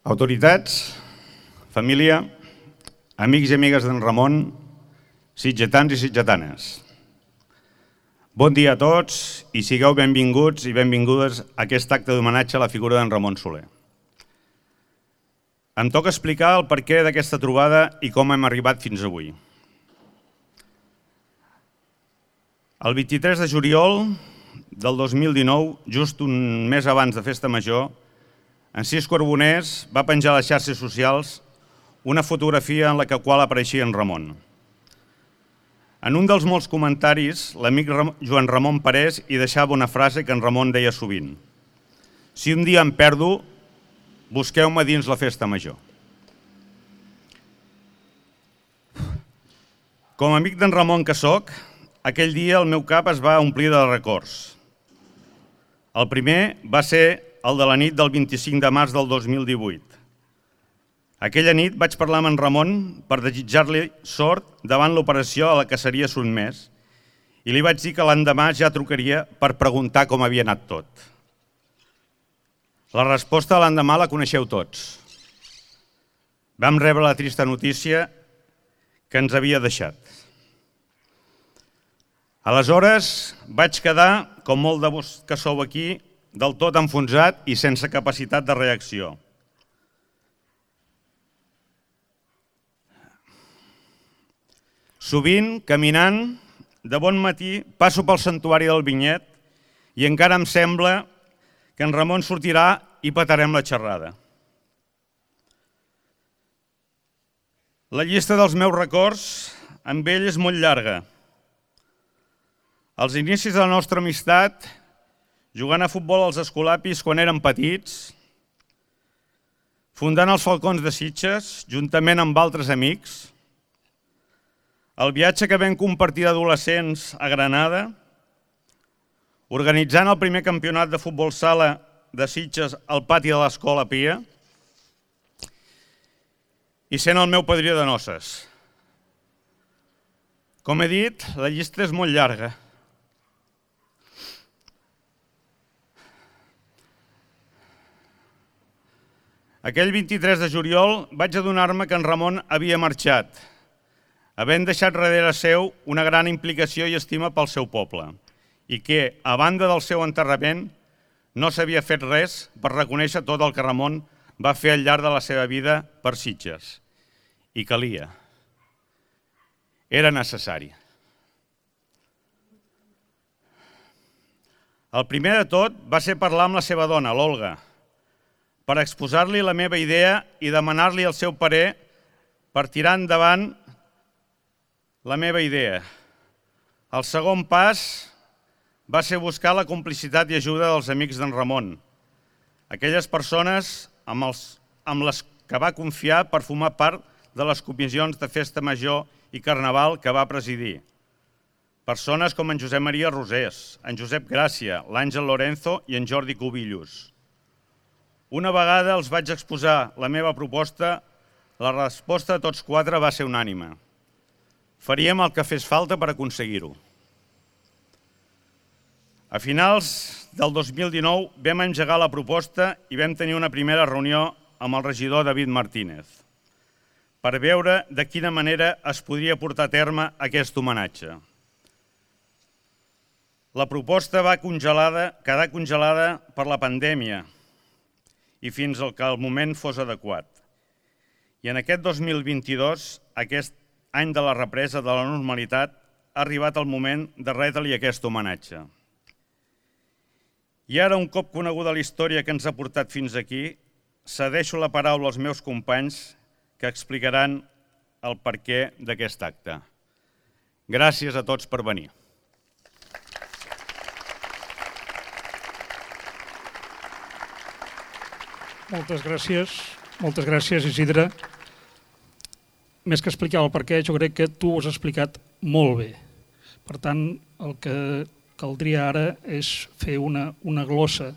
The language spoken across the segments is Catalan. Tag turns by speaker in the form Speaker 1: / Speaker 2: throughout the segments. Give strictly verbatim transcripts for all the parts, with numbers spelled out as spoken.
Speaker 1: Autoritats, família, amics i amigues d'en Ramon, sitgetans i sitgetanes. Bon dia a tots i sigueu benvinguts i benvingudes a aquest acte d'homenatge a la figura d'en Ramon Soler. Em toca explicar el perquè d'aquesta trobada i com hem arribat fins avui. El vint-i-tres de juliol del dos mil dinou, just un mes abans de Festa Major, en Cis Carboners va penjar a les xarxes socials una fotografia en la qual apareixia en Ramon. En un dels molts comentaris, l'amic Joan Ramon Parés hi deixava una frase que en Ramon deia sovint: si un dia em perdo, busqueu-me dins la Festa Major. Com a amic d'en Ramon que soc, aquell dia el meu cap es va omplir de records. El primer va ser el de la nit del vint-i-cinc de març del dos mil divuit. Aquella nit vaig parlar amb en Ramon per desitjar-li sort davant l'operació a la que seria sotmès i li vaig dir que l'endemà ja trucaria per preguntar com havia anat tot. La resposta de l'endemà la coneixeu tots. Vam rebre la trista notícia que ens havia deixat. Aleshores vaig quedar, com molt de vos que sou aquí, del tot enfonsat i sense capacitat de reacció. Sovint, caminant, de bon matí, passo pel santuari del Vinyet i encara em sembla que en Ramon sortirà i petarem la xerrada. La llista dels meus records amb ell és molt llarga. Els inicis de la nostra amistat, jugant a futbol als escolapis quan érem petits, fundant els Falcons de Sitges, juntament amb altres amics, el viatge que vam compartir d'adolescents a Granada, organitzant el primer campionat de futbol sala de Sitges al pati de l'Escola Pia i sent el meu padrí de noces. Com he dit, la llista és molt llarga. Aquell vint-i-tres de juliol vaig adonar-me que en Ramon havia marxat, havent deixat darrere seu una gran implicació i estima pel seu poble, i que, a banda del seu enterrament, no s'havia fet res per reconèixer tot el que Ramon va fer al llarg de la seva vida per Sitges. I calia. Era necessari. El primer de tot va ser parlar amb la seva dona, l'Olga, per exposar-li la meva idea i demanar-li el seu parer per tirar endavant la meva idea. El segon pas va ser buscar la complicitat i ajuda dels amics d'en Ramon, aquelles persones amb, els, amb les que va confiar per formar part de les comissions de Festa Major i Carnaval que va presidir. Persones com en Josep Maria Rosés, en Josep Gràcia, l'Àngel Lorenzo i en Jordi Cubillos. Una vegada els vaig exposar la meva proposta, la resposta de tots quatre va ser unànime. Faríem el que fes falta per aconseguir-ho. A finals del dos mil dinou vam engegar la proposta i vam tenir una primera reunió amb el regidor David Martínez per veure de quina manera es podria portar a terme aquest homenatge. La proposta va congelada, quedar congelada per la pandèmia i fins al que el moment fos adequat. I en aquest dos mil vint-i-dos, aquest any de la represa de la normalitat, ha arribat el moment de retre-li aquest homenatge. I ara, un cop coneguda la història que ens ha portat fins aquí, cedeixo la paraula als meus companys que explicaran el perquè d'aquest acte. Gràcies a tots per venir.
Speaker 2: Moltes gràcies, moltes gràcies, Isidre. Més que explicar el perquè, jo crec que tu ho has explicat molt bé. Per tant, el que caldria ara és fer una, una glossa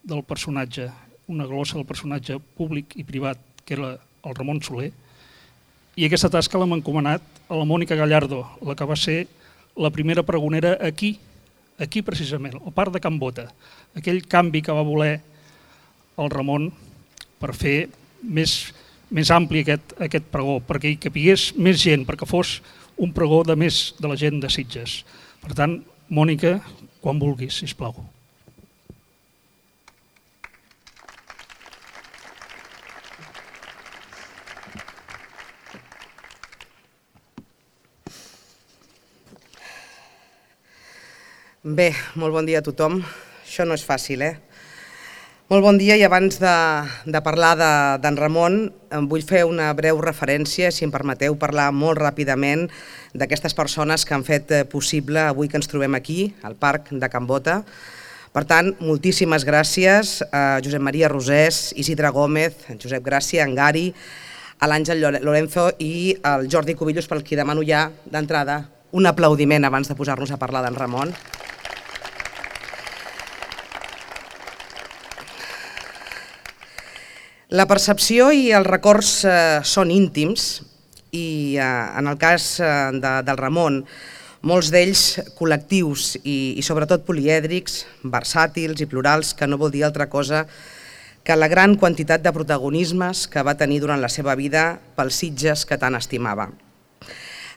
Speaker 2: del personatge, una glossa del personatge públic i privat, que era el Ramon Soler, i aquesta tasca l'hem encomanat a la Mònica Gallardo, la que va ser la primera pregonera aquí, aquí precisament, al Parc de Can Bota, aquell canvi que va voler el Ramon per fer més, més ampli aquest, aquest pregó, perquè hi capigués més gent, perquè fos un pregó de més de la gent de Sitges. Per tant, Mònica, quan vulguis, sisplau.
Speaker 3: Bé, molt bon dia a tothom. Això no és fàcil, eh? Molt bon dia, i abans de, de parlar d'en Ramon, em vull fer una breu referència, si em permeteu parlar molt ràpidament d'aquestes persones que han fet possible avui que ens trobem aquí, al Parc de Can Bota. Per tant, moltíssimes gràcies a Josep Maria Rosés, Isidre Gómez, a Josep Gràcia, a en Gari, a l'Àngel Lorenzo i al Jordi Cubillos, per qui demano ja d'entrada un aplaudiment abans de posar-nos a parlar d'en Ramon. La percepció i els records eh, són íntims i eh, en el cas eh, de, del Ramon, molts d'ells col·lectius i, i sobretot polièdrics, versàtils i plurals, que no vol dir altra cosa que la gran quantitat de protagonismes que va tenir durant la seva vida pels Sitges que tant estimava.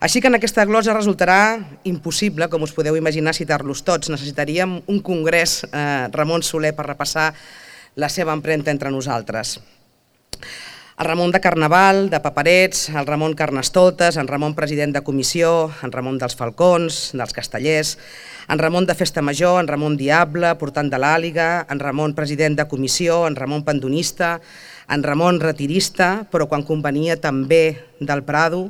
Speaker 3: Així que en aquesta glosa resultarà impossible, com us podeu imaginar, citar-los tots. Necessitaríem un congrés eh, Ramon Soler per repassar la seva empremta entre nosaltres. El Ramon de Carnaval, de Paperets, el Ramon Carnestoltes, en Ramon president de comissió, en Ramon dels Falcons, dels Castellers, en Ramon de Festa Major, en Ramon Diable, portant de l'Àliga, en Ramon president de comissió, en Ramon Pandonista, en Ramon retirista, però quan convenia també del Prado,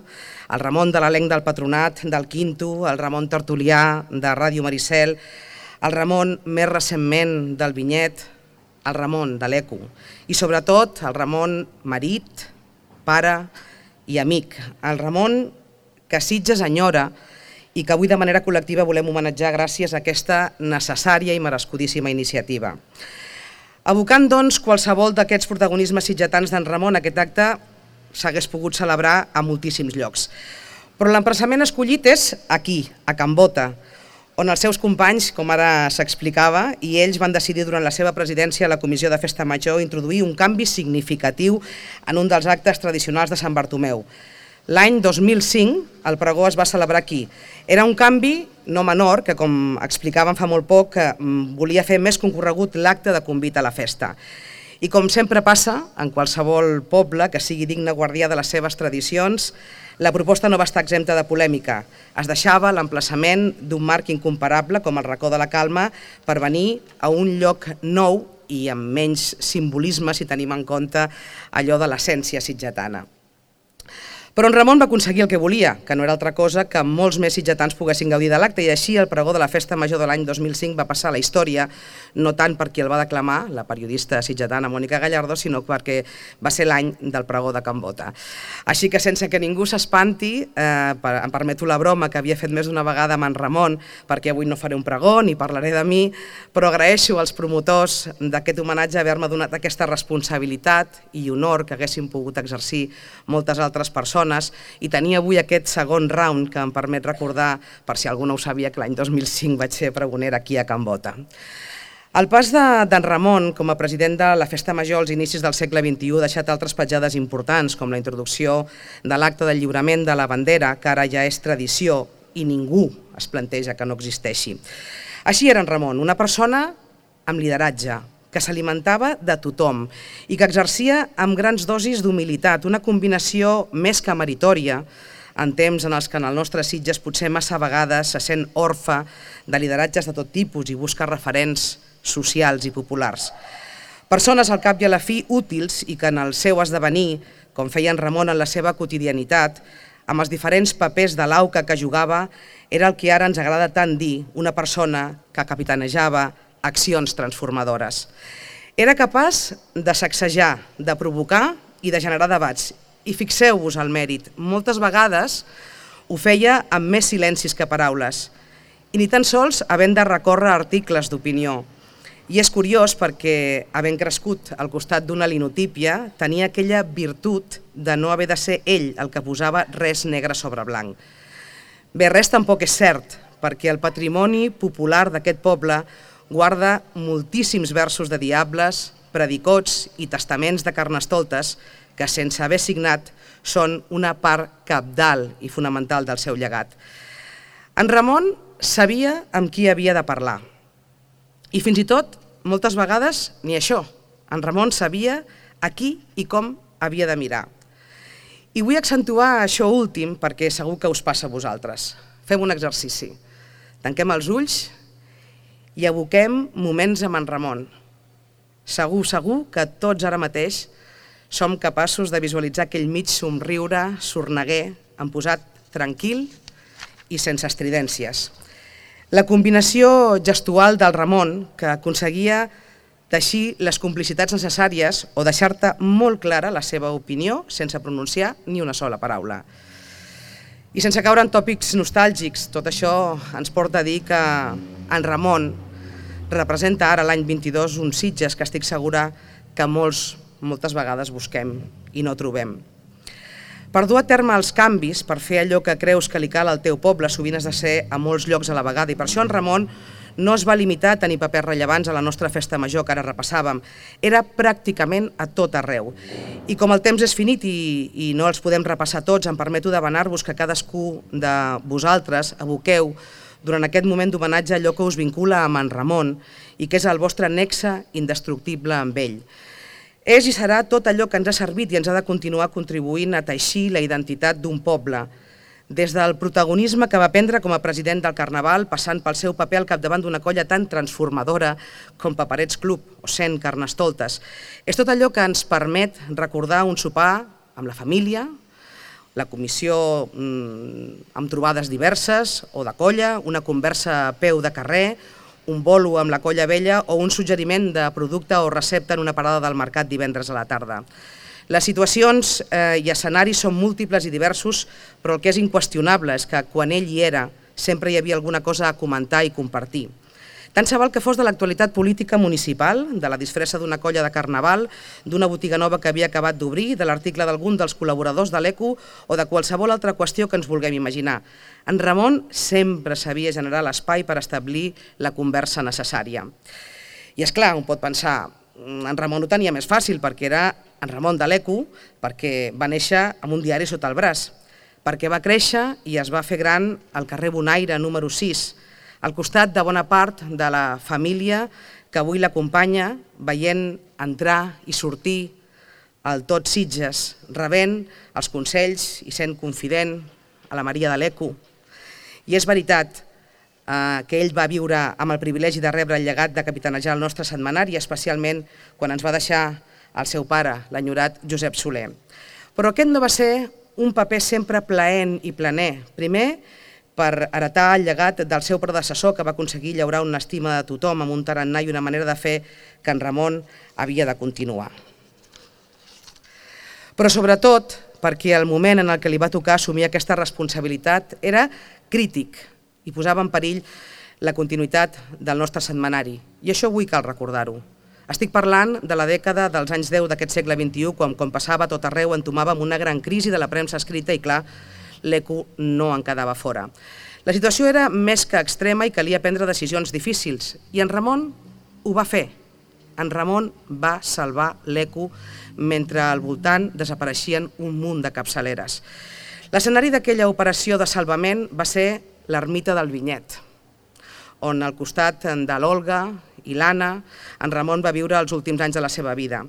Speaker 3: el Ramon de l'elenc del Patronat, del Quinto, el Ramon Tertulià, de Ràdio Maricel, el Ramon més recentment del Vinyet, el Ramon de l'Eco i sobretot el Ramon marit, pare i amic, el Ramon que Sitges enyora i que avui de manera col·lectiva volem homenatjar gràcies a aquesta necessària i merescudíssima iniciativa. Abocant, doncs, qualsevol d'aquests protagonismes sitgetans d'en Ramon, aquest acte s'hagués pogut celebrar a moltíssims llocs. Però l'emplaçament escollit és aquí, a Can Bota, on els seus companys, com ara s'explicava, i ells van decidir durant la seva presidència a la Comissió de Festa Major introduir un canvi significatiu en un dels actes tradicionals de Sant Bartomeu. L'any dos mil cinc el pregó es va celebrar aquí. Era un canvi no menor que, com explicaven fa molt poc, volia fer més concorregut l'acte de convit a la festa. I com sempre passa en qualsevol poble que sigui digne guardià de les seves tradicions, la proposta no va estar exempta de polèmica. Es deixava l'emplaçament d'un marc incomparable com el Racó de la Calma per venir a un lloc nou i amb menys simbolisme si tenim en compte allò de l'essència sitgetana. Però en Ramon va aconseguir el que volia, que no era altra cosa que molts més sitgetans poguessin gaudir de l'acte, i així el pregó de la Festa Major de l'any dos mil cinc va passar a la història, no tant per qui el va declamar, la periodista sitgetana Mònica Gallardo, sinó perquè va ser l'any del pregó de Can Bota. Així que sense que ningú s'espanti, eh, em permeto la broma que havia fet més d'una vegada amb en Ramon, perquè avui no faré un pregó ni parlaré de mi, però agraeixo als promotors d'aquest homenatge haver-me donat aquesta responsabilitat i honor que haguessin pogut exercir moltes altres persones, i tenir avui aquest segon round que em permet recordar, per si algú no ho sabia, que l'any dos mil cinc vaig ser pregonera aquí a Can Bota. El pas d'en Ramon com a president de la Festa Major als inicis del segle vint-i-u ha deixat altres petjades importants, com la introducció de l'acte del lliurament de la bandera, que ara ja és tradició i ningú es planteja que no existeixi. Així era en Ramon, una persona amb lideratge, que s'alimentava de tothom i que exercia amb grans dosis d'humilitat, una combinació més que meritòria en temps en els que en el nostre Sitges potser massa vegades se sent orfe de lideratges de tot tipus i busca referents socials i populars. Persones al cap i a la fi útils i que en el seu esdevenir, com feia en Ramon en la seva quotidianitat, amb els diferents papers de l'auca que jugava, era el que ara ens agrada tant dir, una persona que capitanejava accions transformadores. Era capaç de sacsejar, de provocar i de generar debats. I fixeu-vos el mèrit, moltes vegades ho feia amb més silencis que paraules, i ni tan sols havent de recórrer articles d'opinió. I és curiós perquè, havent crescut al costat d'una linotípia, tenia aquella virtut de no haver de ser ell el que posava res negre sobre blanc. Bé, res tampoc és cert, perquè el patrimoni popular d'aquest poble guarda moltíssims versos de diables, predicots i testaments de Carnestoltes que, sense haver signat, són una part cabdal i fonamental del seu llegat. En Ramon sabia amb qui havia de parlar. I fins i tot, moltes vegades, ni això. En Ramon sabia a qui i com havia de mirar. I vull accentuar això últim perquè segur que us passa a vosaltres. Fem un exercici. Tanquem els ulls i evoquem moments amb en Ramon. Segur, segur que tots ara mateix som capaços de visualitzar aquell mig somriure, sorneguer, emposat tranquil i sense estridències. La combinació gestual del Ramon, que aconseguia teixir les complicitats necessàries o deixar-te molt clara la seva opinió sense pronunciar ni una sola paraula. I sense caure en tòpics nostàlgics, tot això ens porta a dir que en Ramon representa ara l'any vint-i-dos uns Sitges que estic segura que molts, moltes vegades busquem i no trobem. Per dur a terme els canvis, per fer allò que creus que li cal al teu poble, sovint has de ser a molts llocs a la vegada, i per això en Ramon no es va limitar a tenir papers rellevants a la nostra festa major que ara repassàvem, era pràcticament a tot arreu. I com el temps és finit i, i no els podem repassar tots, em permeto demanar-vos que cadascú de vosaltres aboqueu durant aquest moment d'homenatge allò que us vincula amb en Ramon i que és el vostre nexe indestructible amb ell. És i serà tot allò que ens ha servit i ens ha de continuar contribuint a teixir la identitat d'un poble, des del protagonisme que va prendre com a president del Carnaval, passant pel seu paper al capdavant d'una colla tan transformadora com Paperets Club o cent Carnestoltes. És tot allò que ens permet recordar un sopar amb la família, la comissió mmm, amb trobades diverses o de colla, una conversa a peu de carrer, un bolo amb la colla vella o un suggeriment de producte o recepta en una parada del mercat divendres a la tarda. Les situacions eh, i escenaris són múltiples i diversos, però el que és inqüestionable és que quan ell hi era sempre hi havia alguna cosa a comentar i compartir. Tant se val que fos de l'actualitat política municipal, de la disfressa d'una colla de carnaval, d'una botiga nova que havia acabat d'obrir, de l'article d'algun dels col·laboradors de l'E C U o de qualsevol altra qüestió que ens vulguem imaginar. En Ramon sempre sabia generar l'espai per establir la conversa necessària. I és clar, un pot pensar, en Ramon ho tenia més fàcil perquè era en Ramon de l'E C U, perquè va néixer amb un diari sota el braç, perquè va créixer i es va fer gran al carrer Bonaire número sis, al costat de bona part de la família que avui l'acompanya, veient entrar i sortir al tot Sitges, rebent els consells i sent confident a la Maria de l'E C U. I és veritat eh, que ell va viure amb el privilegi de rebre el llegat de capitanejar el nostre setmanari, especialment quan ens va deixar el seu pare, l'enyorat Josep Soler. Però aquest no va ser un paper sempre plaent i planer. Primer, per heretar el llegat del seu predecessor que va aconseguir llaurar una estima de tothom amb un tarannà i una manera de fer que en Ramon havia de continuar. Però sobretot perquè el moment en el que li va tocar assumir aquesta responsabilitat era crític i posava en perill la continuïtat del nostre setmanari. I això avui cal recordar-ho. Estic parlant de la dècada dels anys deu d'aquest segle vint-i-u, quan, com passava a tot arreu, entomàvem una gran crisi de la premsa escrita i, clar, l'E C U no en quedava fora. La situació era més que extrema i calia prendre decisions difícils. I en Ramon ho va fer. En Ramon va salvar l'E C U mentre al voltant desapareixien un munt de capçaleres. L'escenari d'aquella operació de salvament va ser l'ermita del Vinyet, on al costat de l'Olga i l'Anna, en Ramon va viure els últims anys de la seva vida.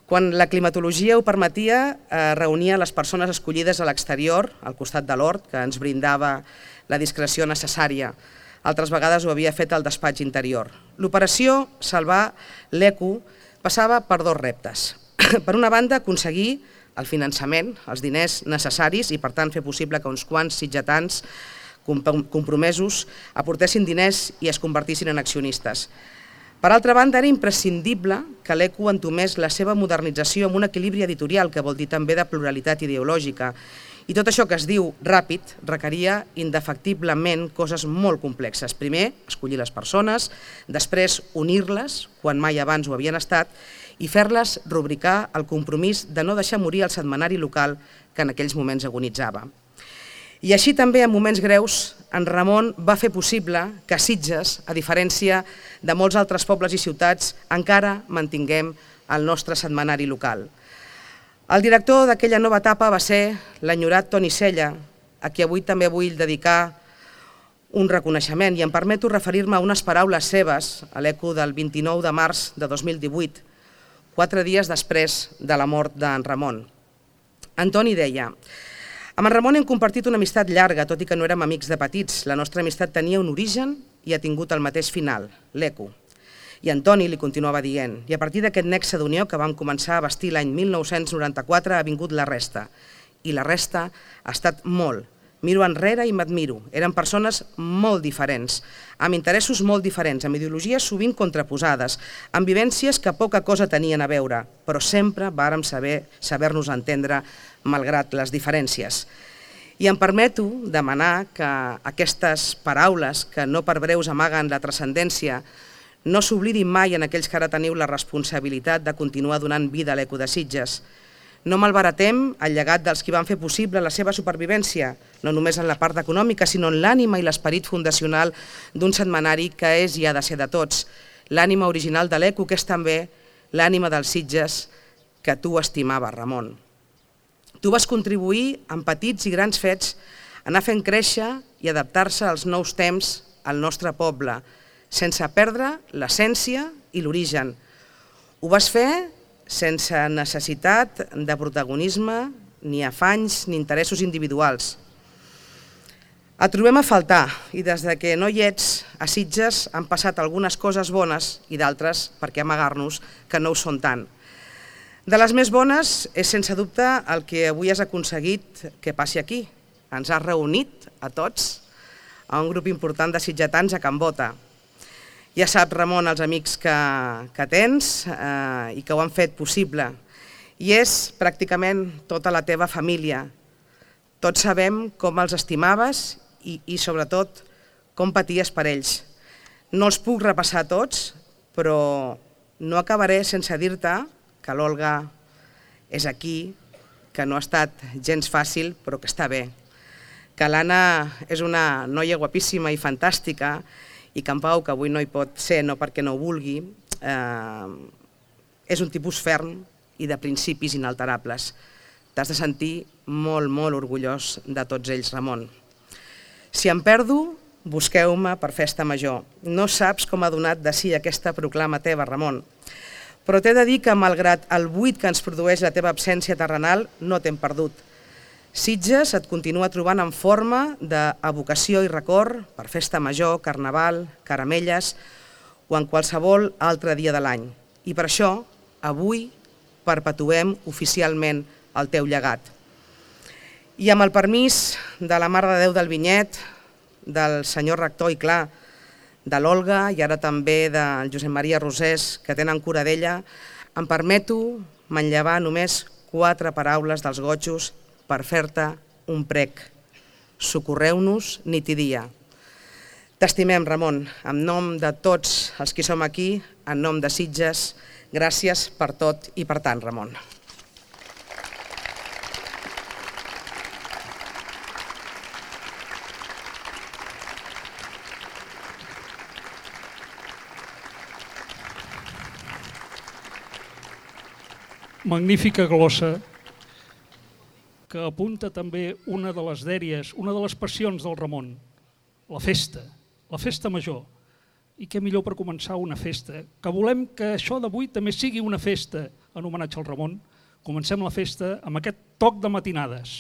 Speaker 3: Quan la climatologia ho permetia, eh, reunia les persones escollides a l'exterior, al costat de l'hort, que ens brindava la discreció necessària. Altres vegades ho havia fet al despatx interior. L'operació Salvar l'E C U passava per dos reptes. Per una banda, aconseguir el finançament, els diners necessaris i, per tant, fer possible que uns quants sitgetans compromesos aportessin diners i es convertissin en accionistes. Per altra banda, era imprescindible que l'E C U entomés la seva modernització amb un equilibri editorial, que vol dir també de pluralitat ideològica. I tot això que es diu ràpid requeria indefectiblement coses molt complexes. Primer, escollir les persones, després unir-les, quan mai abans ho havien estat, i fer-les rubricar el compromís de no deixar morir el setmanari local que en aquells moments agonitzava. I així també, en moments greus, en Ramon va fer possible que Sitges, a diferència de molts altres pobles i ciutats, encara mantinguem al nostre setmanari local. El director d'aquella nova etapa va ser l'enyorat Toni Sella, a qui avui també vull dedicar un reconeixement, i em permeto referir-me a unes paraules seves a l'Eco del vint-i-nou de març de dos mil divuit, quatre dies després de la mort d'en Ramon. En Toni deia: amb en Ramon hem compartit una amistat llarga, tot i que no érem amics de petits. La nostra amistat tenia un origen i ha tingut el mateix final, l'Eco. I en Toni li continuava dient: i a partir d'aquest nexe d'unió que vam començar a bastir l'any mil nou-cents noranta-quatre ha vingut la resta. I la resta ha estat molt. Miro enrere i m'admiro. Eren persones molt diferents, amb interessos molt diferents, amb ideologies sovint contraposades, amb vivències que poca cosa tenien a veure, però sempre vàrem saber saber-nos entendre malgrat les diferències. I em permeto demanar que aquestes paraules, que no per breus amaguen la transcendència, no s'oblidin mai en aquells que ara teniu la responsabilitat de continuar donant vida a l'Eco de Sitges. No malbaratem el llegat dels qui van fer possible la seva supervivència, no només en la part econòmica, sinó en l'ànima i l'esperit fundacional d'un setmanari que és i ha de ser de tots. L'ànima original de l'Eco, que és també l'ànima dels Sitges que tu estimaves, Ramon. Tu vas contribuir amb petits i grans fets a anar fent créixer i adaptar-se als nous temps al nostre poble, sense perdre l'essència i l'origen. Ho vas fer sense necessitat de protagonisme, ni afanys, ni interessos individuals. Et trobem a faltar i des que no hi ets, a Sitges han passat algunes coses bones i d'altres, per què amagar-nos, que no ho són tant. De les més bones és sense dubte el que avui has aconseguit que passi aquí. Ens has reunit a tots, a un grup important de sitgetans a Can Bota. Ja saps, Ramon, els amics que, que tens eh, i que ho han fet possible. I és pràcticament tota la teva família. Tots sabem com els estimaves i, i sobretot, com paties per ells. No els puc repassar tots, però no acabaré sense dir-te que l'Olga és aquí, que no ha estat gens fàcil, però que està bé. Que l'Anna és una noia guapíssima i fantàstica, i que en Pau, que avui no hi pot ser, no perquè no ho vulgui, eh, és un tipus ferm i de principis inalterables. T'has de sentir molt, molt orgullós de tots ells, Ramon. Si em perdo, busqueu-me per festa major. No saps com ha donat de si aquesta proclama teva, Ramon. Però t'he de dir que, malgrat el buit que ens produeix la teva absència terrenal, no t'hem perdut. Sitges et continua trobant en forma d'evocació i record per festa major, carnaval, caramelles o en qualsevol altre dia de l'any. I per això, avui, perpetuem oficialment el teu llegat. I amb el permís de la Mare de Déu del Vinyet, del senyor rector i clar, de l'Olga i ara també del Josep Maria Rosés, que tenen cura d'ella, em permeto manllevar només quatre paraules dels gotjos per fer-te un prec. Socorreu-nos nit i dia. T'estimem, Ramon, en nom de tots els qui som aquí, en nom de Sitges, gràcies per tot i per tant, Ramon.
Speaker 2: Magnífica glossa que apunta també una de les dèries, una de les passions del Ramon, la festa, la festa major. I què millor per començar una festa, que volem que això d'avui també sigui una festa en homenatge al Ramon. Comencem la festa amb aquest toc de matinades.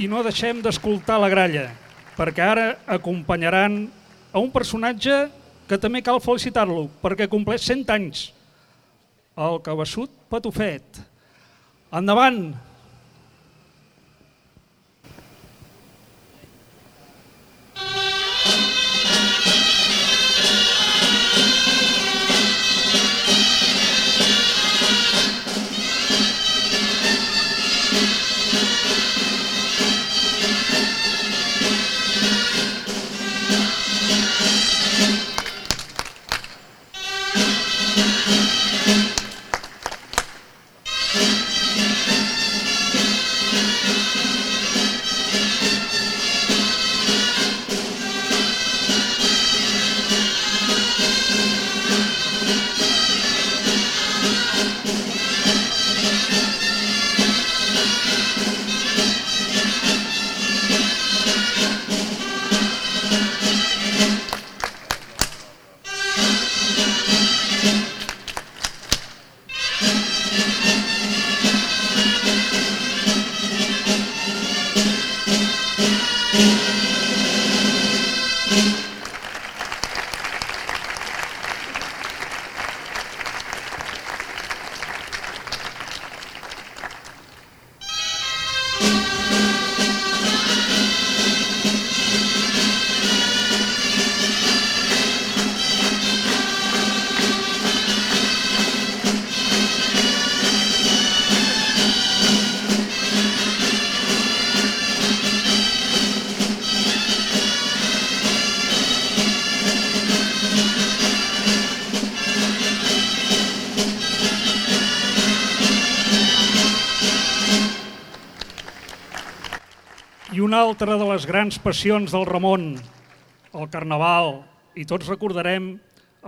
Speaker 2: I no deixem d'escoltar la gralla, perquè ara acompanyaran a un personatge que també cal felicitar-lo, perquè compleix cent anys, el Cabeçut Patufet. Endavant! I una altra de les grans passions del Ramon, el Carnaval, i tots recordarem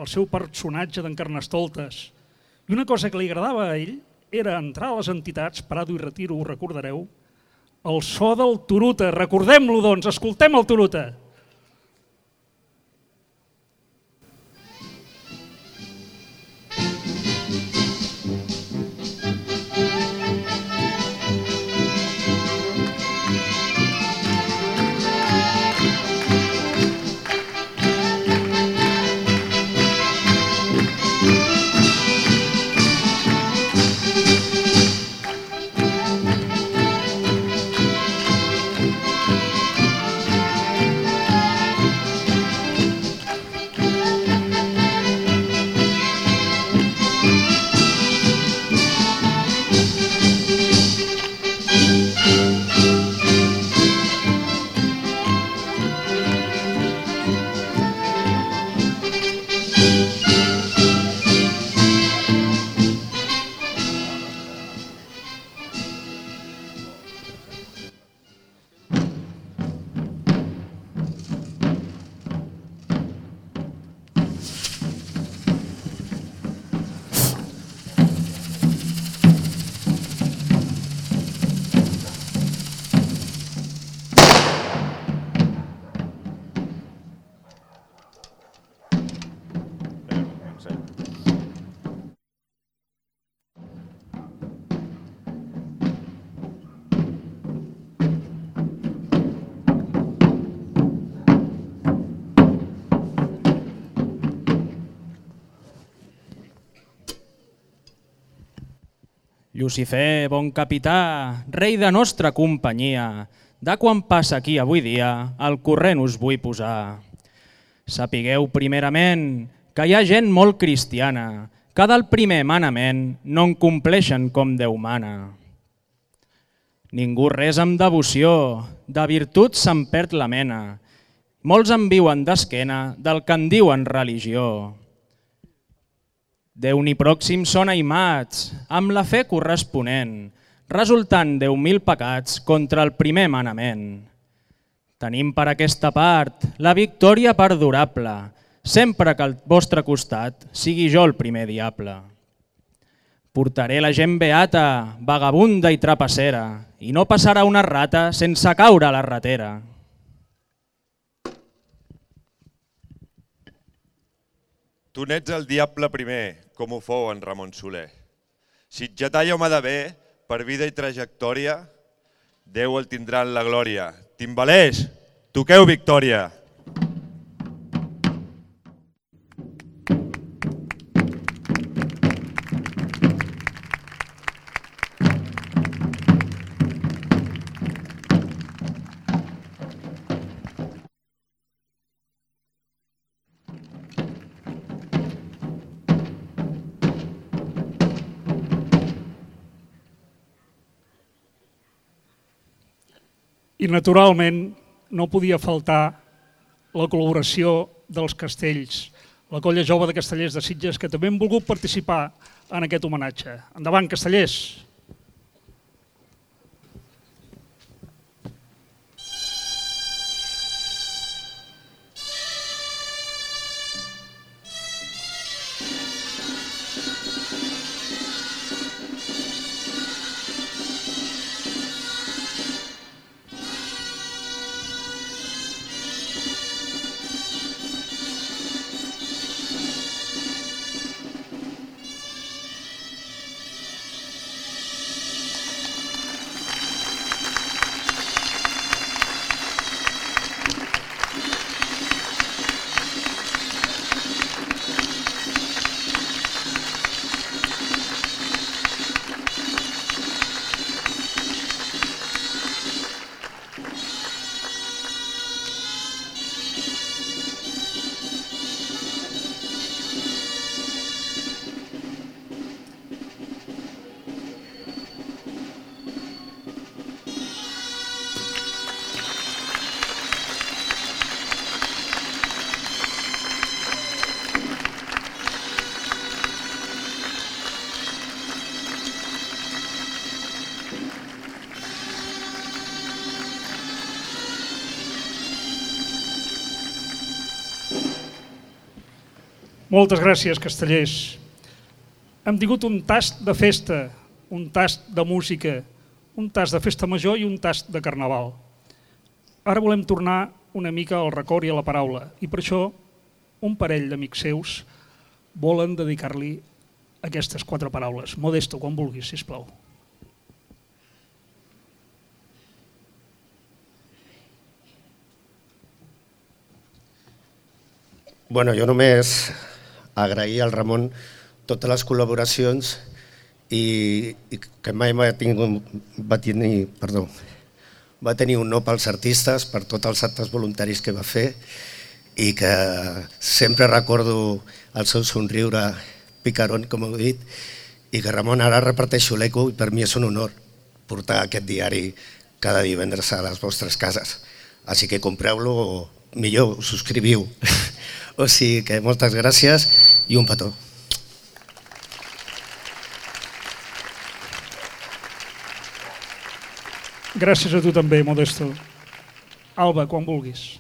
Speaker 2: el seu personatge d'en Carnestoltes. I una cosa que li agradava a ell era entrar a les entitats, Prado i Retiro, ho recordareu, el so del Turuta. Recordem-lo, doncs, escoltem el Turuta.
Speaker 4: Lucifer, bon capità, rei de nostra companyia, de quan passa aquí avui dia, al corrent us vull posar. Sapigueu primerament que hi ha gent molt cristiana, que del primer manament no en compleixen com Déu mana. Ningú res amb devoció, de virtut se'n perd la mena, molts en viuen d'esquena del que en diuen religió. Déu ni pròxim són aimats, amb la fe corresponent, resultant deu mil pecats contra el primer manament. Tenim per aquesta part la victòria perdurable, sempre que al vostre costat sigui jo el primer diable. Portaré la gent beata, vagabunda i trapassera, i no passarà una rata sense caure a la ratera.
Speaker 5: Tu n'ets el diable primer, com ho fou en Ramon Soler. Sitgetà i home de bé, per vida i trajectòria, Déu el tindrà en la glòria. Timbalers, toqueu victòria!
Speaker 2: I, naturalment, no podia faltar la col·laboració dels castells, la colla jove de castellers de Sitges, que també han volgut participar en aquest homenatge. Endavant, castellers! Moltes gràcies, castellers. Hem tingut un tast de festa, un tast de música, un tast de festa major i un tast de carnaval. Ara volem tornar una mica al record i a la paraula, i per això un parell d'amics seus volen dedicar-li aquestes quatre paraules. Modesto, quan vulguis, sisplau.
Speaker 6: Bueno, jo només agrair al Ramon totes les col·laboracions i, i que mai va, tingut, va, tenir, perdó, va tenir un no pels artistes, per tots els actes voluntaris que va fer i que sempre recordo el seu somriure picarón, com heu dit, i que Ramon, ara reparteixo l'eco i per mi és un honor portar aquest diari cada divendres a les vostres cases. Així que compreu-lo o millor subscriviu. O sigui que moltes gràcies i un petó.
Speaker 2: Gràcies a tu també, Modesto. Alba, quan vulguis.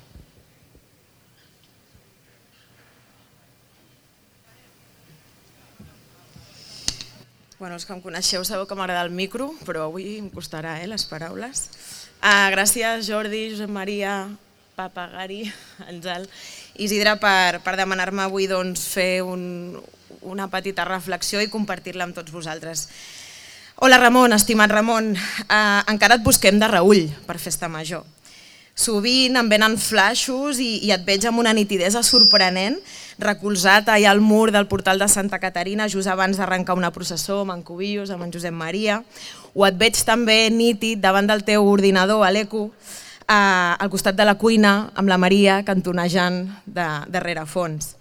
Speaker 7: Bueno, els que em coneixeu sabeu que m'agrada el micro, però avui em costarà, eh, les paraules. Uh, gràcies, Jordi, Josep Maria, Papa, Gari, Àngel, Isidre, per, per demanar-me avui doncs, fer un, una petita reflexió i compartir-la amb tots vosaltres. Hola Ramon, estimat Ramon, uh, encara et busquem de reüll per Festa Major. Sovint em venen flaixos i, i et veig amb una nitidesa sorprenent, recolzat allà al mur del portal de Santa Caterina just abans d'arrencar una processó amb en Cubillos, amb en Josep Maria, o et veig també nítid davant del teu ordinador a l'Eco, eh, al costat de la cuina, amb la Maria cantonejant de, de rerefons.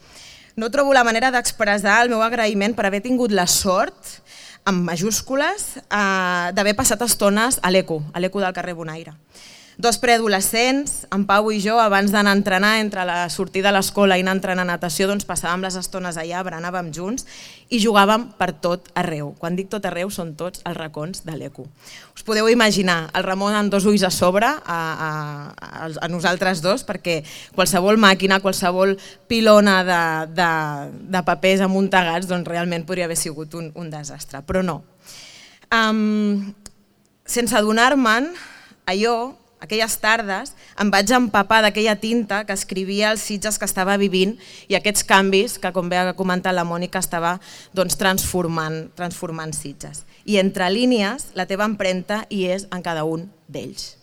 Speaker 7: No trobo la manera d'expressar el meu agraïment per haver tingut la sort, amb majúscules, eh, d'haver passat estones a l'Eco, a l'Eco del carrer Bonaire. Dos preadolescents, en Pau i jo, abans d'anar a entrenar, entre la sortida de l'escola i anar a entrenar a natació, doncs passàvem les estones allà, berenàvem junts i jugàvem per tot arreu. Quan dic tot arreu, són tots els racons de l'Eco. Us podeu imaginar el Ramon amb dos ulls a sobre, a, a, a nosaltres dos, perquè qualsevol màquina, qualsevol pilona de, de, de papers amuntegats, doncs realment podria haver sigut un, un desastre, però no. Um, sense adonar-me'n, allò, aquelles tardes, em vaig empapar d'aquella tinta que escrivia els Sitges que estava vivint i aquests canvis que, com bé ha comentat la Mònica, estava doncs, transformant, transformant Sitges. i entre línies la teva empremta hi és en cada un d'ells.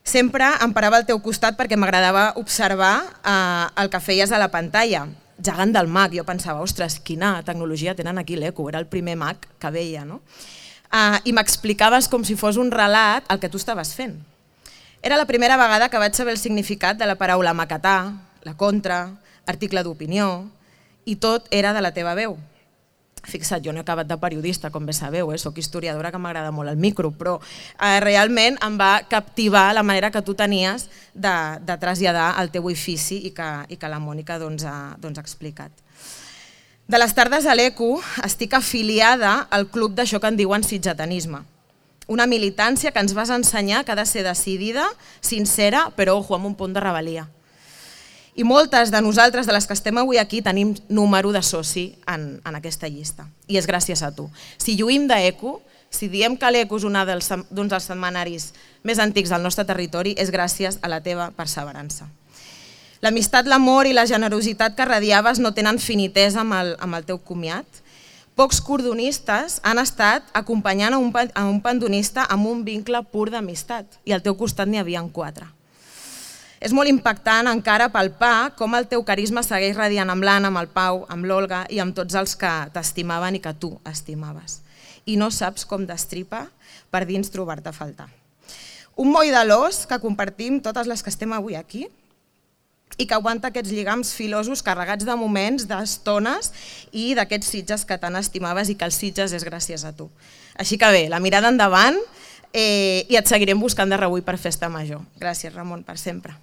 Speaker 7: Sempre em parava al teu costat perquè m'agradava observar eh, el que feies a la pantalla. Gegant del Mac, jo pensava, ostres, quina tecnologia tenen aquí l'Eco, era el primer Mac que veia, no? Eh, I m'explicaves com si fos un relat el que tu estaves fent. Era la primera vegada que vaig saber el significat de la paraula maquetar, la contra, article d'opinió, i tot era de la teva veu. Fixa't, jo no he acabat de periodista, com bé sabeu, eh? Soc historiadora que m'agrada molt el micro, però eh, realment em va captivar la manera que tu tenies de, de traslladar el teu ofici i que, i que la Mònica doncs, ha, doncs, ha explicat. De les tardes a l'Eco estic afiliada al club d'això que en diuen sitgetanisme, una militància que ens vas ensenyar que ha de ser decidida, sincera, però ojo, amb un punt de rebel·lia. I moltes de nosaltres, de les que estem avui aquí, tenim número de soci en, en aquesta llista. I és gràcies a tu. Si lluïm d'Eco, si diem que l'Eco és un dels, dels setmanaris més antics del nostre territori, és gràcies a la teva perseverança. L'amistat, l'amor i la generositat que radiaves no tenen finitesa amb el, amb el teu comiat. Pocs cordonistes han estat acompanyant a un, a un pandonista amb un vincle pur d'amistat i al teu costat n'hi havia quatre. És molt impactant encara palpar com el teu carisma segueix radiant amb l'Anna, amb el Pau, amb l'Olga i amb tots els que t'estimaven i que tu estimaves. I no saps com destripa per dins trobar-te a faltar. Un moll de l'os que compartim totes les que estem avui aquí i que aguanta aquests lligams filosos carregats de moments, d'estones i d'aquests Sitges que tant estimaves i que els Sitges és gràcies a tu. Així que bé, la mirada endavant eh, i et seguirem buscant de rebull per Festa Major. Gràcies, Ramon, per sempre.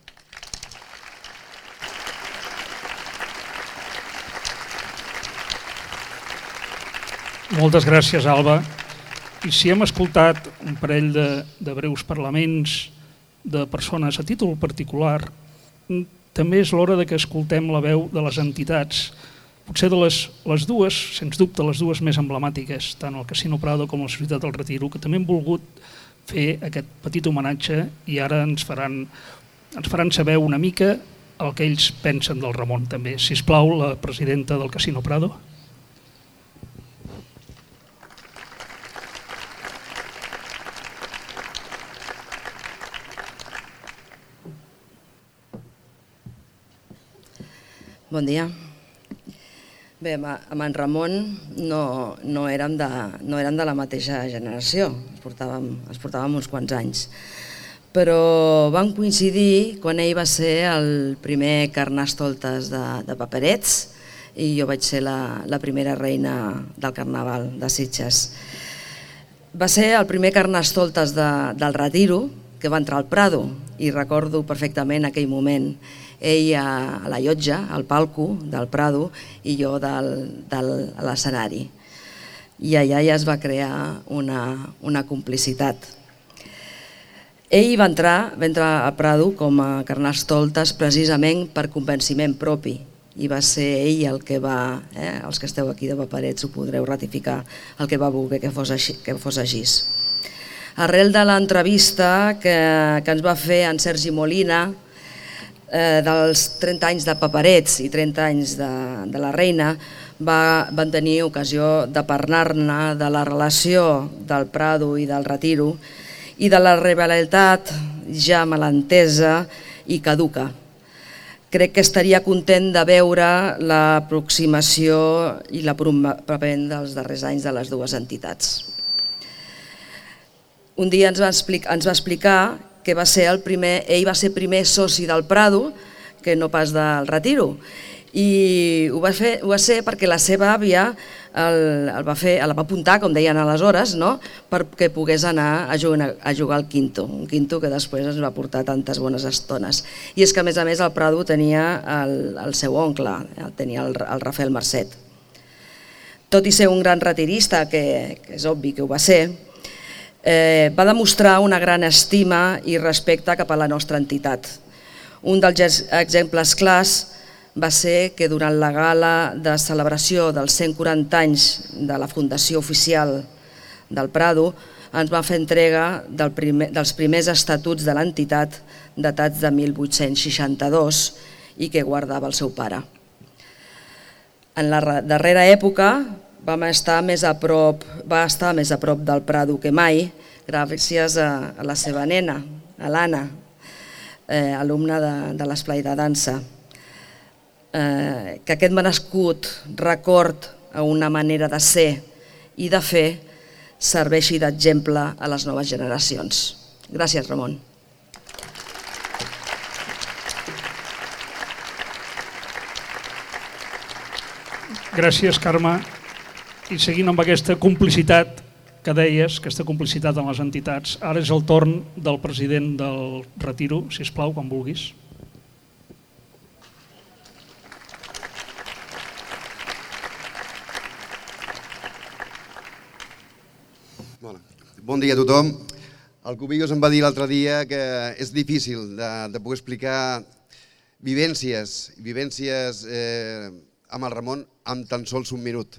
Speaker 2: Moltes gràcies, Alba. I si hem escoltat un parell de, de breus parlaments de persones a títol particular, també és l'hora de que escoltem la veu de les entitats, potser de les, les dues, sens dubte les dues més emblemàtiques, tant el Casino Prado com la Societat del Retiro, que també han volgut fer aquest petit homenatge i ara ens faran, ens faran saber una mica el que ells pensen del Ramon també. Sisplau, la presidenta del Casino Prado.
Speaker 8: Bon dia. Bé, amb en Ramon no, no, érem de, no érem de la mateixa generació, ens portàvem, ens portàvem uns quants anys, però vam coincidir quan ell va ser el primer Carnestoltes de, de Paperets i jo vaig ser la, la primera reina del Carnaval de Sitges. Va ser el primer Carnestoltes de, del Retiro que va entrar al Prado i recordo perfectament aquell moment, ell a la llotja, al palco del Prado i jo del, del, a l'escenari. I allà ja es va crear una, una complicitat. Ell va entrar, va entrar al Prado com a Carnestoltes precisament per convenciment propi i va ser ell el que va, eh, els que esteu aquí de Paperets ho podreu ratificar, el que va voler que fos així. Que fos així. Arrel de l'entrevista que, que ens va fer en Sergi Molina, Eh, dels trenta anys de Paperets i trenta anys de, de la Reina, va, van tenir ocasió de parlar-ne de la relació del Prado i del Retiro i de la rivalitat ja malentesa i caduca. Crec que estaria content de veure l'aproximació i l'apropament dels darrers anys de les dues entitats. Un dia ens va explicar, ens va explicar que va ser el primer, ell va ser primer soci del Prado, que no pas del Retiro, i ho va, fer, ho va ser perquè la seva àvia el, el va fer, el va apuntar, com deien aleshores, no? Perquè pogués anar a jugar, a jugar al quinto, un quinto que després ens va portar tantes bones estones. I és que a més a més el Prado tenia el, el seu oncle, tenia el, el Rafael Marcet. Tot i ser un gran retirista, que, que és obvi que ho va ser, Eh, va demostrar una gran estima i respecte cap a la nostra entitat. Un dels exemples clars va ser que durant la gala de celebració dels cent quaranta anys de la fundació oficial del Prado ens va fer entrega del primer, dels primers estatuts de l'entitat datats de mil vuit-cents seixanta-dos i que guardava el seu pare. En la darrera època, vam estar més a prop, va estar més a prop del Prado que mai, gràcies a, a la seva nena, a l'Anna, eh, alumna de, de l'Esplai de Dansa. Eh, que aquest merescut record a una manera de ser i de fer serveixi d'exemple a les noves generacions. Gràcies, Ramon.
Speaker 2: Gràcies, Carme. I seguint amb aquesta complicitat que deies, aquesta complicitat amb les entitats, ara és el torn del president del Retiro, sisplau, quan vulguis.
Speaker 9: Bon dia a tothom. El Cubillos em va dir l'altre dia que és difícil de, de poder explicar vivències, vivències eh, amb el Ramon amb tan sols un minut.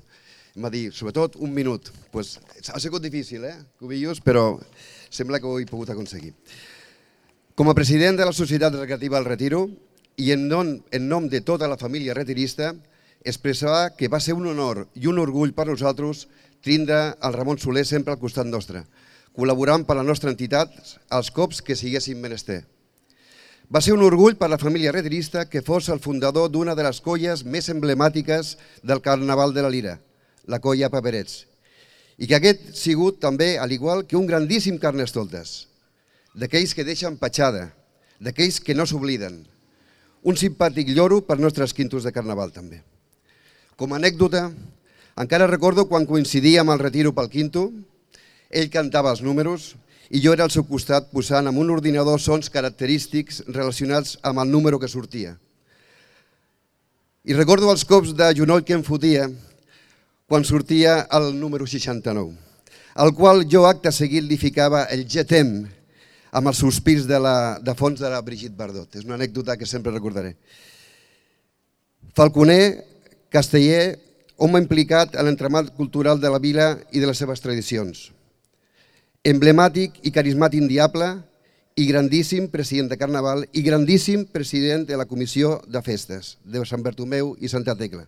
Speaker 9: Em va dir, sobretot, un minut. Pues, ha sigut difícil, eh, Cubillos, però sembla que ho he pogut aconseguir. Com a president de la Societat Recreativa El Retiro i en nom, en nom de tota la família retirista, expressar que va ser un honor i un orgull per nosaltres tindre el Ramon Soler sempre al costat nostre, col·laborant per la nostra entitat als cops que siguéssim menester. Va ser un orgull per la família retirista que fos el fundador d'una de les colles més emblemàtiques del Carnaval de la Lira, la colla Paperets, i que aquest sigut també, al igual que un grandíssim carnestoltes, d'aquells que deixen petjada, d'aquells que no s'obliden, un simpàtic lloro per nostres quintos de Carnaval també. Com a anècdota, encara recordo quan coincidíem al Retiro pel quinto, ell cantava els números i jo era al seu costat posant amb un ordinador sons característics relacionats amb el número que sortia. I recordo els cops de genoll que em fotia quan sortia el número seixanta-nou, al qual jo acte seguit li ficava el getem amb els sospirs de, la, de fons de la Brigitte Bardot. És una anècdota que sempre recordaré. Falconer, casteller, home implicat en l'entramat cultural de la vila i de les seves tradicions. Emblemàtic i carismàtic diable i grandíssim president de Carnaval i grandíssim president de la Comissió de Festes de Sant Bartomeu i Santa Tecla.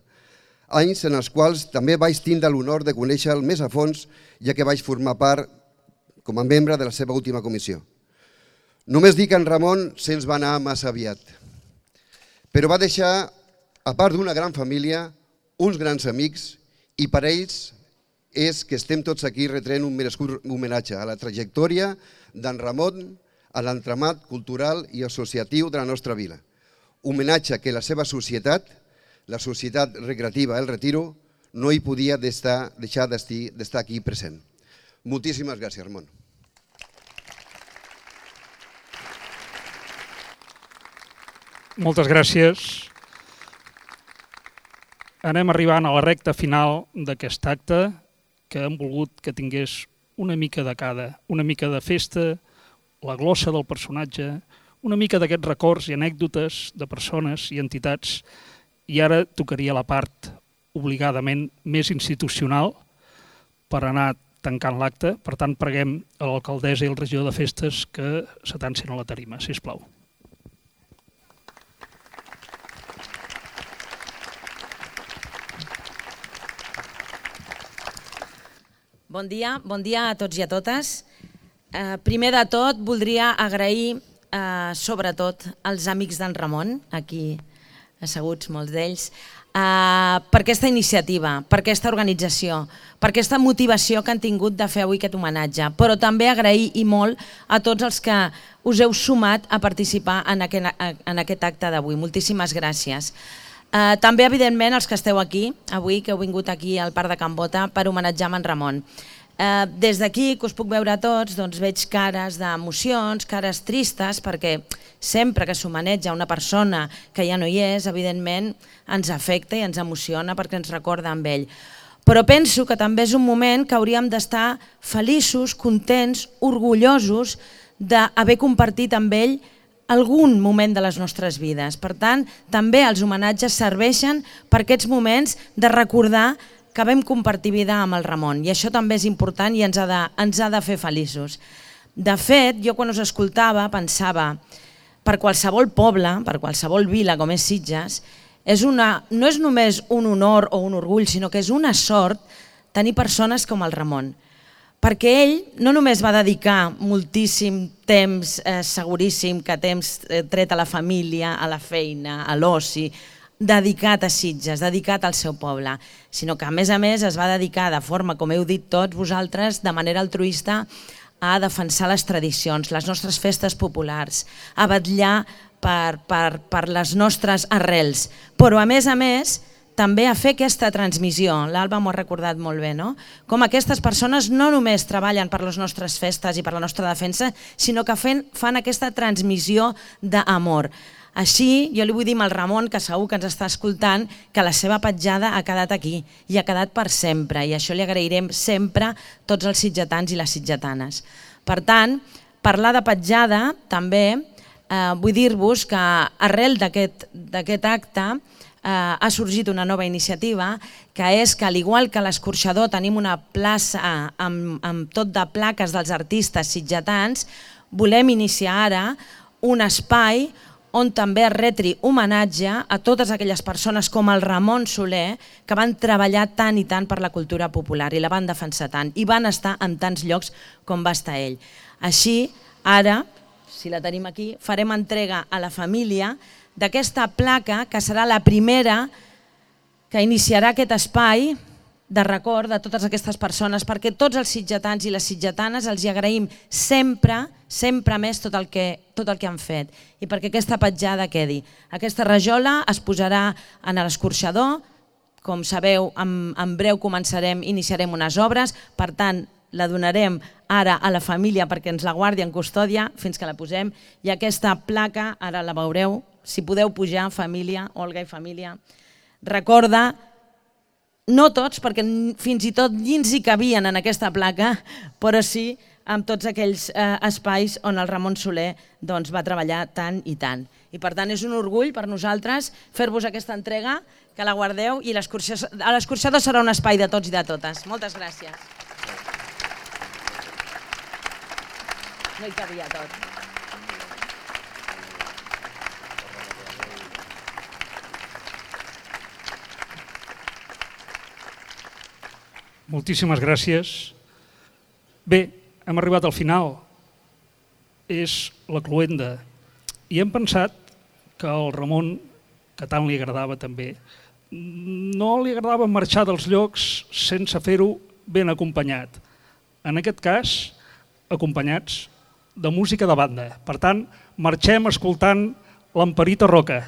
Speaker 9: Anys en els quals també vaig tindre l'honor de conèixer-lo més a fons, ja que vaig formar part com a membre de la seva última comissió. Només dic que en Ramon se'ns va anar massa aviat, però va deixar, a part d'una gran família, uns grans amics, i per ells és que estem tots aquí retrent un merescut homenatge a la trajectòria d'en Ramon, a l'entramat cultural i associatiu de la nostra vila. Homenatge que la seva societat, la Societat Recreativa El Retiro, no hi podia deixar d'estar aquí present. Moltíssimes gràcies, Ramon.
Speaker 2: Moltes gràcies. Anem arribant a la recta final d'aquest acte, que hem volgut que tingués una mica de cada, una mica de festa, la glossa del personatge, una mica d'aquests records i anècdotes de persones i entitats, i ara tocaria la part obligadament més institucional per anar tancant l'acte. Per tant, preguem a l'alcaldessa i el regidor de festes que s'atancin a la tarima, sisplau.
Speaker 7: Bon dia, bon dia a tots i a totes. Eh, primer de tot, voldria agrair eh, sobretot als amics d'en Ramon, aquí asseguts molts d'ells, eh, per aquesta iniciativa, per aquesta organització, per aquesta motivació que han tingut de fer avui aquest homenatge, però també agrair i molt a tots els que us heu sumat a participar en aquest, en aquest acte d'avui. Moltíssimes gràcies. Uh, també, evidentment, els que esteu aquí, avui, que heu vingut aquí al Parc de Can Bota per homenatjar en Ramon. Uh, des d'aquí, que us puc veure a tots, doncs veig cares d'emocions, cares tristes, perquè sempre que s'homenatja una persona que ja no hi és, evidentment, ens afecta i ens emociona perquè ens recorda amb ell. Però penso que també és un moment que hauríem d'estar feliços, contents, orgullosos d'haver compartit amb ell algun moment de les nostres vides. Per tant, també els homenatges serveixen per aquests moments de recordar que vam compartir vida amb el Ramon, i això també és important i ens ha de, ens ha de fer feliços. De fet, jo quan us escoltava pensava, per qualsevol poble, per qualsevol vila com és Sitges,
Speaker 10: És una, no és només un honor o un orgull, sinó que és una sort tenir persones com el Ramon. Perquè ell no només va dedicar moltíssim temps, eh, seguríssim que temps eh, tret a la família, a la feina, a l'oci, dedicat a Sitges, dedicat al seu poble, sinó que a més a més es va dedicar de forma, com heu dit tots vosaltres, de manera altruista a defensar les tradicions, les nostres festes populars, a vetllar per, per, per les nostres arrels, però a més a més també a fer aquesta transmissió. L'Alba m'ho ha recordat molt bé, no? Com aquestes persones no només treballen per les nostres festes i per la nostra defensa, sinó que fan, fan aquesta transmissió d'amor. Així, jo li vull dir al Ramon, que segur que ens està escoltant, que la seva petjada ha quedat aquí i ha quedat per sempre, i això li agrairem sempre tots els sitgetans i les sitgetanes. Per tant, parlar de petjada també eh, vull dir-vos que arrel d'aquest acte eh, ha sorgit una nova iniciativa, que és que, al igual que a l'Escorxador tenim una plaça amb, amb tot de plaques dels artistes sitgetans, volem iniciar ara un espai on també es retri homenatge a totes aquelles persones com el Ramon Soler, que van treballar tant i tant per la cultura popular i la van defensar tant i van estar en tants llocs com va estar ell. Així, ara, si la tenim aquí, farem entrega a la família d'aquesta placa que serà la primera que iniciarà aquest espai de record de totes aquestes persones, perquè tots els sitgetans i les sitgetanes els hi agraïm sempre, sempre més tot el que, tot el que han fet, i perquè aquesta petjada quedi. Aquesta rajola es posarà en l'Escorxador, com sabeu, en, en breu començarem, iniciarem unes obres, per tant, la donarem ara a la família perquè ens la guardi en custòdia fins que la posem, i aquesta placa, ara la veureu, si podeu pujar, família, Olga i família, recorda, no tots, perquè fins i tot dins hi cabien en aquesta placa, però sí amb tots aquells eh, espais on el Ramon Soler doncs, va treballar tant i tant. I per tant és un orgull per nosaltres fer-vos aquesta entrega, que la guardeu, i l'Escorxador serà un espai de tots i de totes. Moltes gràcies. No hi cabia tot.
Speaker 2: Moltíssimes gràcies. Bé, hem arribat al final. És la cloenda. I hem pensat que al Ramon, que tant li agradava també, no li agradava marxar dels llocs sense fer-ho ben acompanyat. En aquest cas, acompanyats de música de banda. Per tant, marxem escoltant l'Amparita Roca.